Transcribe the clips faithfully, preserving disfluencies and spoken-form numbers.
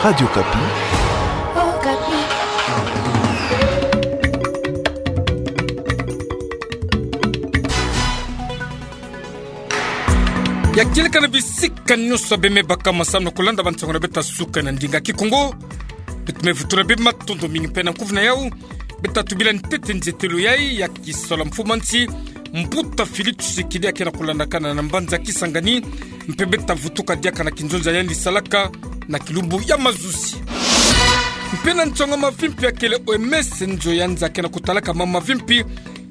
Radio Okapi. Ya kieleka na bisika nyonso beme baka masamu na kulanda bansango na beto ya suka na ndinga Kikongo. Beto me vutula bima matondo mingi mpe na nkuvu na yau. Beto tubila ntete nzetelo yai ya kisalu ya mfumu a nsi, Mbuta Félix Tshisekedi, ya ke na kulandakana na mbanza Kisangani, mpe beto vutuka diaka na kinzonzi ya yandi salaka na kilumbu ya mazuzi. Mpe na nsango ya mavimpi, ya kele O M S nzo ya nza ke na kutalaka mama mavimpi,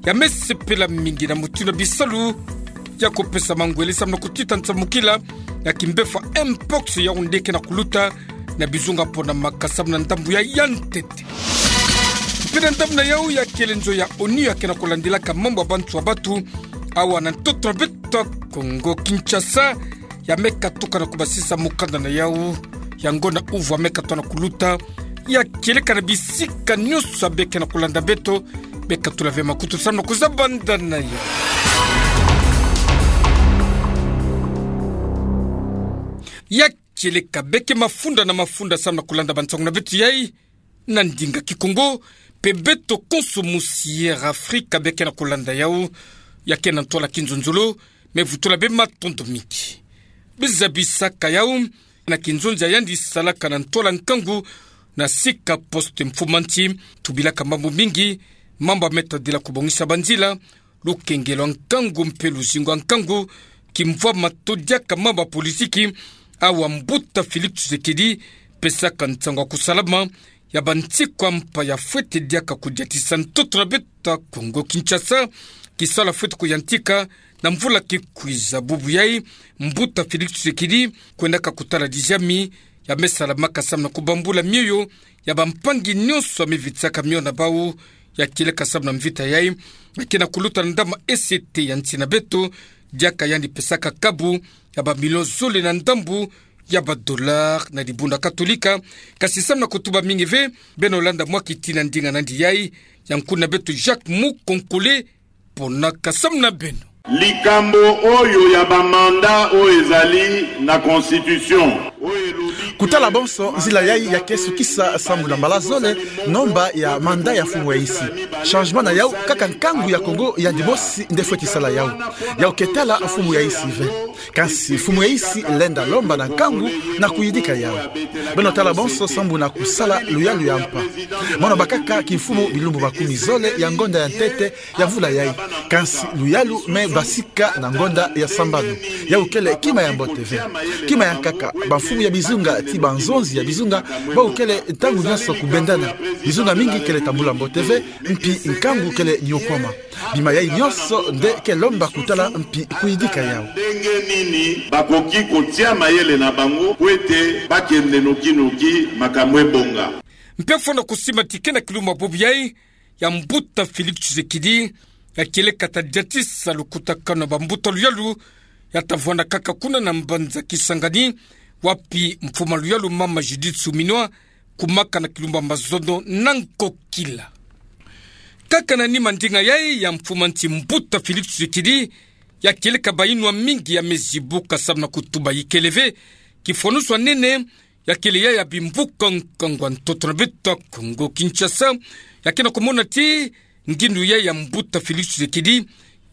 ya me sepela mingi na mutindu ya bisalu ya kupesa mangwele samu na kutita nsamukila ya kimbevo Mpox, yau nde ke na kuluta na bizunga ponamaka samu na ndambu ya ya ntete. Mpe na ndambu na yau, ya kele nzo ya onu ya ke na kulandilaka mambu ya bantu ya batu awa na ntoto na beto ya Kongo Kinshasa, ya me katuka na kubasisa mukanda na yau ya ngonda uvu ya me katuka na kuluta. Ya kieleka na bisika nyonso ya be ke na kulanda beto, be katula ve makutu samu na kuzabanda na yau. Ya kieleka, beke mafunda na mafunda samu na kulanda bansango na beto yai na ndinga Kikongo, mpe beto konso musi Air Afrika be ke na kulanda yau, ya ke na ntwala kinzonzolo, me vutula bima matondo mingi. Be zabisaka yau na kinzonzi ya yandi salaka na ntwala nkangu na sika poste mfumu a nsi, tubilaka mambu mingi, mambu ya me tadila kubongisa banzila, lukengelo ya nkangu mpe luzingu ya nkangu, kimvwama to diaka mambu ya politiki, awa Mbuta Félix Tshisekedi pesaka nsangu ya kusalama ya bantikwa mpa ya fwete diaka kudiatisa ntoto na beto ya Kongo Kinshasa, kisalu ya fwete kuyantika na mvula ke kwiza. Bubu yai, Mbuta Félix Tshisekedi kwendaka kutala diziami ya me salamaka samu na kubambula mioyo ya bampangi nyonso ya me vitisaka mio na bau. Ya kieleka samu na mvita yai, ya ke na kuluta na ndambu ya E C T ya nsi na beto, diaka yandi pesaka kabu ya bamilio zole na ndambu ya badollar na dibundu ya Katolika. Kasi samu na kutuba mingi ve, beno landa mwa kiti na ndinga nandi yai ya nkuni na beto Jacques Mukonkole, ponaka samu na beno. Likambo oyo ya ba mandat oyo ezali na constitution. Kutala bonso nzila yai ya ke sukisa sambu na mbala zole, nomba ya mandat ya mfumu ya insi. Changement na yau, kaka nkangu ya Kongo yandi mosi nde fweti sala yau. Yau ke tala mfumu ya insi ve. Kasi mfumu ya insi lenda lomba na nkangu na kuyidika yau. Beno tala bonso sambu na kusala luyalu ya mpa. Mono bakaka kimfumu bilumbu makumi zole ya ngonda ya ntete ya mvula yai. Kasi luyalu me basika na ngonda ya sambanu. Yau kele kima ya mbote ve. Kima ya nkaka, bamfumu ya bizunga ti banzonzi ya bizunga, bau kele ntangu nyonso kubendana. Bizunga mingi kele tambula mbote ve, mpi nkangu kele niokwama. Bima yai nyonso nde ke lomba kutala mpi kuyidika yau. Ndenge nini bakoki kotia mayele na bango po ete bakende noki-noki makambo ebonga? Mpe fwana kusimba ti ke na kilumbu ya bubu yai, ya Mbuta Félix Tshisekedi, ya kieleka ta diatisa lukutakanu ya bambuta luyalu, ya ta vwanda kaka kuna na mbanza Kisangani, wapi mfumu ya luyalu mama Judith Suminwa, kumaka na kilumbu ya mazono na nkokila. Kaka na nima ndinga yai ya mfumu a nsi Mbuta Félix Tshisekedi, ya kieleka bayinwa mingi ya me zibuka samu na kutuba ikele ve, kifwanusu ya nene, ya kele ya ya bimvuka nkangu ya ntoto na beto ya Kongo Kinshasa, ya ke na kumona ti ngindu yai ya Mbuta Félix Tshisekedi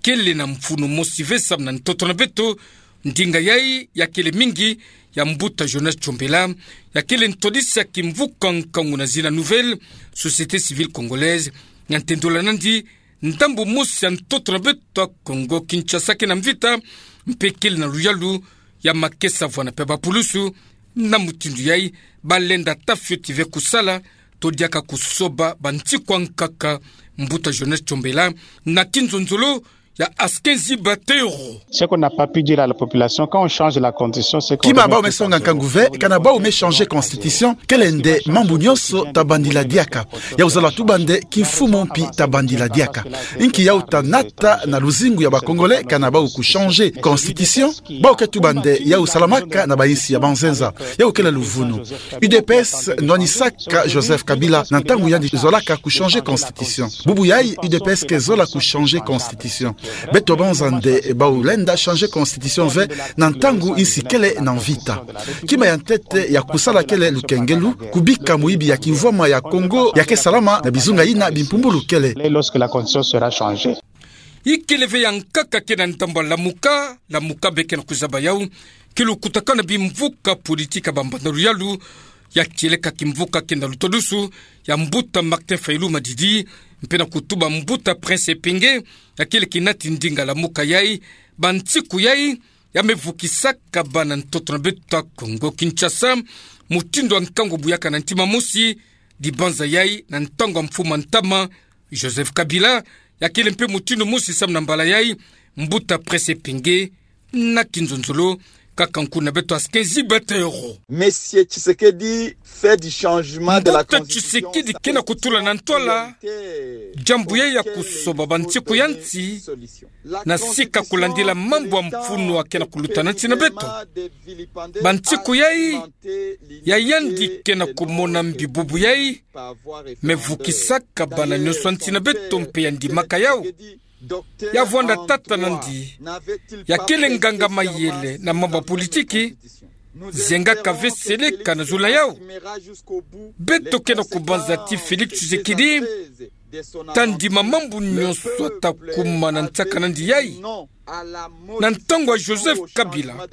kele na mfunu mosi ve samu na ntoto na beto. Ndinga yai ya kele mingi ya Mbuta Jonas Chombela, ya kele ntwadisi ya kimvuka nkangu na zina Nouvelle Société Civile Congolaise, ya ntendola nandi ndambu mosi ya ntoto na beto ya Kongo Kinshasa ke na mvita, mpe kele na luyalu ya makesa vwana mpe bapulusu. Na mutindu yai, balenda ta fioti ve kusala to diaka kusoba bantikwa nkaka. Mbuta Jonas Chombela, na kinzonzolo ya Askenzi Batero. Ce qu'on n'a pas pu dire à la population, quand on change la constitution, c'est qu'on... Kima bau me songa nkangu ve, kana bau me changer constitution, kele nde mambu nyonso ta bandila diaka. Yau zola tuba nde kimfumu mpi ta bandila diaka. Inki yau ta nata na luzingu ya ba Congolais, kana bau ku changer constitution? Bau ke tuba nde yau salamaka na ba insi ya banzenza. Yau kele luvunu. U D P S nwanisaka Joseph Kabila na ntangu yandi zolaka ku changer constitution. Bubu yai U D P S ke zola ku changer constitution. Beto banza nde bau lenda changer constitution ve na ntangu insi kele na mvita. Kima ya ntete ya kusala kele lukengelu, kubika moyibi ya kimvwama ya Kongo ya ke salama na bizunga yina bimpumbulu kele. Lorsque la constitution sera changée. Ikele ve ya nkaka ke na ndambu a Lamuka, Lamuka be ke na kuzaba yau, ke lukutakana bimvuka politiki ya bambanda luyalu, ya kieleka kimvuka ke na lutadusu ya mbuta Martin Fayulu Madidi, mpe na kutuba mbuta Prince Epenge, ya kele kinati ndinga Lamuka yai, bansiku yai, ya me vukisaka bana ntoto na beto ya Kongo Kinshasa, mutindu ya nkangu buyaka na ntima mosi, dibanza yai na ntangu ya mfumu ya ntama, Joseph Kabila, ya kele mpe mutindu mosi samu na mbala yai, mbuta Prince Epenge, na kinzonzolo, kaka nkuna beto ya Skenzi Batero. Monsieur Tshisekedi fait du changement de la constitution. Mbuta Tshisekedi ke na kutula na ntwala diambu yai ya kusoba bansiku ya nsi, na sika kulandila mambu ya mfunu ya ke na kuluta na nsi na beto. Bansiku yai, ya yandi ke na kumona mbi bubu yai, me vukisaka bana nyonso ya nsi na beto mpe ya ndimaka yau. Ya vwanda tata nandi, ya kele nganga-mayele na mambu ya politiki, zengaka ve seleka na zulu na yau. Beto ke na kubanza ti Félix Tshisekedi ta ndima mambu nyonso ta kuma na nsaka nandi yai. Na ntangu ya Joseph Kabila,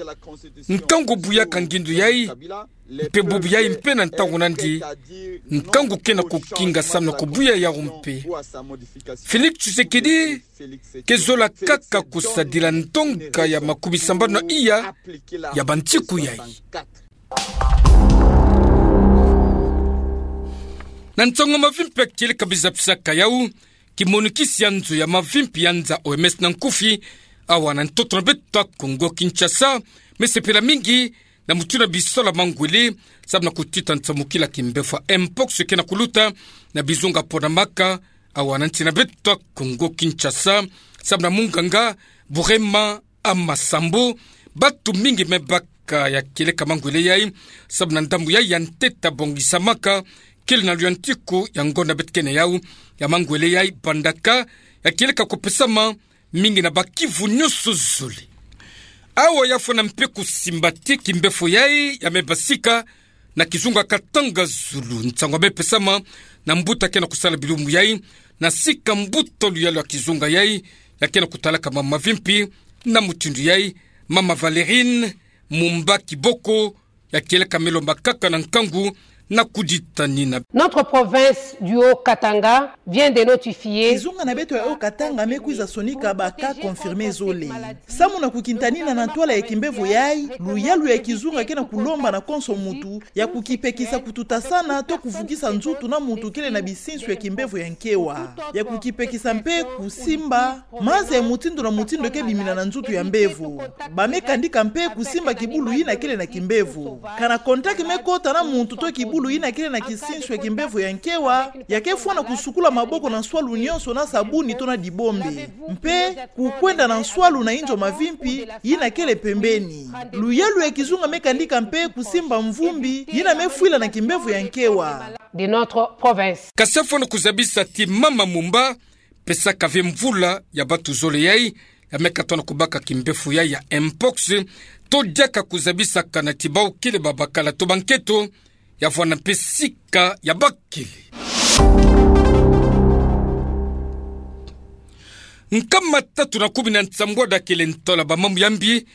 nkangu buyaka ngindu yai, mpe bubu yai mpe na ntangu nandi, nkangu ke na kukinga samu na kubuya yau mpe. Félix Tshisekedi ke zola kaka kusadila ndonga ya makumisambanu na iya ya bansiku yai. Na nsangu mavimpi ya kieleka bizapisaka yau, kimonikisi ya nzo ya mavimpi ya nza O M S na nkufi, awa na ntoto na beto ya Kongo Kinshasa, me sepela mingi na mutindu ya bisola mangwele, samu na kutita nsamukila kimbevo ya mpox ke na kuluta na bizunga ponamaka, awa na nsi na beto ya Kongo Kinshasa, samu na munganga Burema Amasambo, batu mingi me baka ya kieleka mangwele yai, samu na ndambu yai ya ntete bongisamaka, kele na luyantiku ya ngonda beto ke na yau, ya mangwele yai bandaka, ya kieleka kupesama, mingi na Bas-Kivu nyonso zole. Awa ya fwana mpe kusimba ti kimbevo yai ya me basika na kizunga Katanga zulu, nsangu ya me pesama na mbuta ke na kusala bilumbu yai, na sika mbuta luyalu ya kizunga yai, ya ke na kutalaka mambu mavimpi, na mutindu yai, mama Valerine Mumba Kiboko, ya kieleka me lomba kaka na nkangu na kuditanina. Notre province du Haut-Katanga vient de notifier. Kizunga na beto ya Haut-Katanga me kwiza sonika ba cas confirmés zole. Samu na kukintanina na ntwala ya kimbevo yai, luyalu ya kizunga ke na kulomba na konso muntu ya kukipekisa kututasana to kuvukisa nzutu na muntu kele na bisinsu ya kimbevo ya nkewa. Ya kukipekisa mpe kusimba maza ya mutindu na mutindu ke bimina na nzutu ya mbevo. Ba me kandika mpe kusimba kibulu yina kele na kimbevo. Kana contact me kota na muntu to kibulu yina kele na kisinsu ya kimbevo ya nkewa, ya ke fwana kusukula maboko na nswalu nyonso na sabuni to na dibombe. Mpe kukwenda na nswalu na inzo mavimpi yina kele pembeni. Luyalu ya kizunga me kandika mpe kusimba mvumbi yina me fwila na kimbevo ya nkewa. De notre province. Kasi ya fwana kuzabisa ti mama Mumba pesaka ve mvula ya batu zole yai, ya me katono kubaka kimbevo yai ya mpox, to diaka kuzabisakana ti bau kele babakala to banketo, ya vwanda mpe sika ya bakele. Nkama tatu na kumi na nsambwadi ya kele ntola bamambu ya mbi,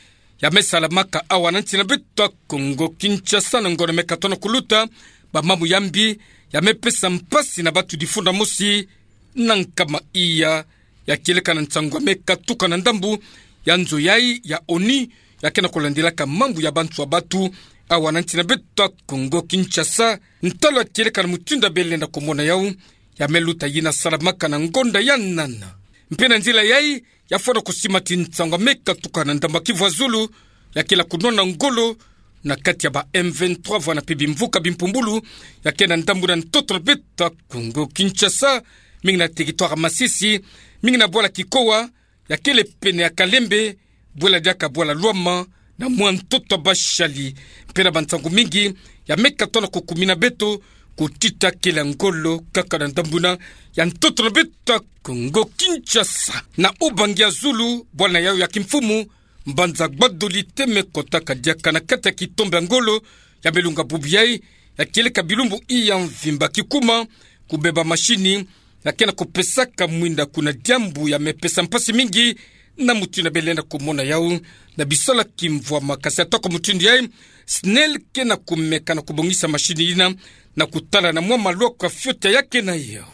ya me salamaka awa na nsi na beto ya Kongo Kinshasa na ngonda me katono kuluta, bamambu ya mbi, ya me pesa mpasi na batu difunda mosi, na nkama iya, ya kieleka na nsangu ya me katuka na ndambu ya nzo yai ya ONU, ya ke na kulandilaka mambu ya bantu ya batu, awa na nsi na beto ya Kongo Kinshasa, ntalo ya kieleka na mutindu ya bele na kumona yau, ya me luta yina salamaka na ngonda ya nana. Mpe na nzila yai, ya fwana kusima ti nsangu ya me katuka na ndambu ya Kivu ya Zulu, ya kele kunwana ngolo, na kati ya ba M vingt-trois vwanda mpe bimvuka bimpumbulu, ya ke na ndambu na ntoto na beto ya Kongo Kinshasa, mingi na territoire ya Masisi, mingi na bwala Kikowa, ya kele pene ya Kalembe, bwela diaka bwala Lwama, na mwa ntoto ya Bashali, mpe na bansangu mingi, ya me katono kukumina beto, kutita kele ngolo kaka na ndambu na ya ntoto na beto ya Kongo Kinshasa. Na ubangi ya zulu, bwana yau ya kimfumu, Mbanza Gbadoli Teme kotaka diaka na kati ya kitombe ya ngolo ya Belunga Bubu yai, ya kieleka bilumbu iya mvimba kikuma, kubeba mashini ya kena kupesaka mwinda kuna diambu ya mepesa mpasi mingi na mutindu ya belenda kumona yau. Na bisalaki mvwama kasi atako mutindu yai, SNEL kena kumeka na kubongisa mashini yina na kutala na mwa maloko ya fioti ya kena yau.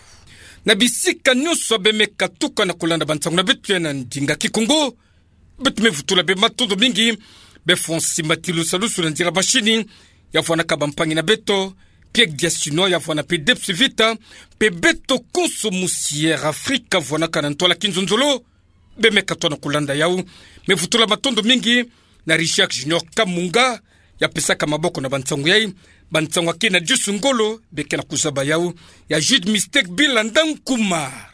Na bisika nyonso bemeka tuka na kulanda bansangu na beto ya na ndinga Kikongo, beto me vutula bê matondo mingi bê Fonsi Matilu Salusu na nzila mashini, ya vwanaka bampangi na beto, Pierre Diasino ya vwana mpe Debs Vita, mpe beto konso musi Air Afrika vwanaka na ntwala kinzonzolo, bemeka tona kulanda yau. Me vutula matondo mingi na Richard Junior Kamunga, ya pesaka maboko na bansangu yai, bansangu ya kena diusu ngolo bekena kuzaba yau, ya Jude Mistake Bila Ndankumar,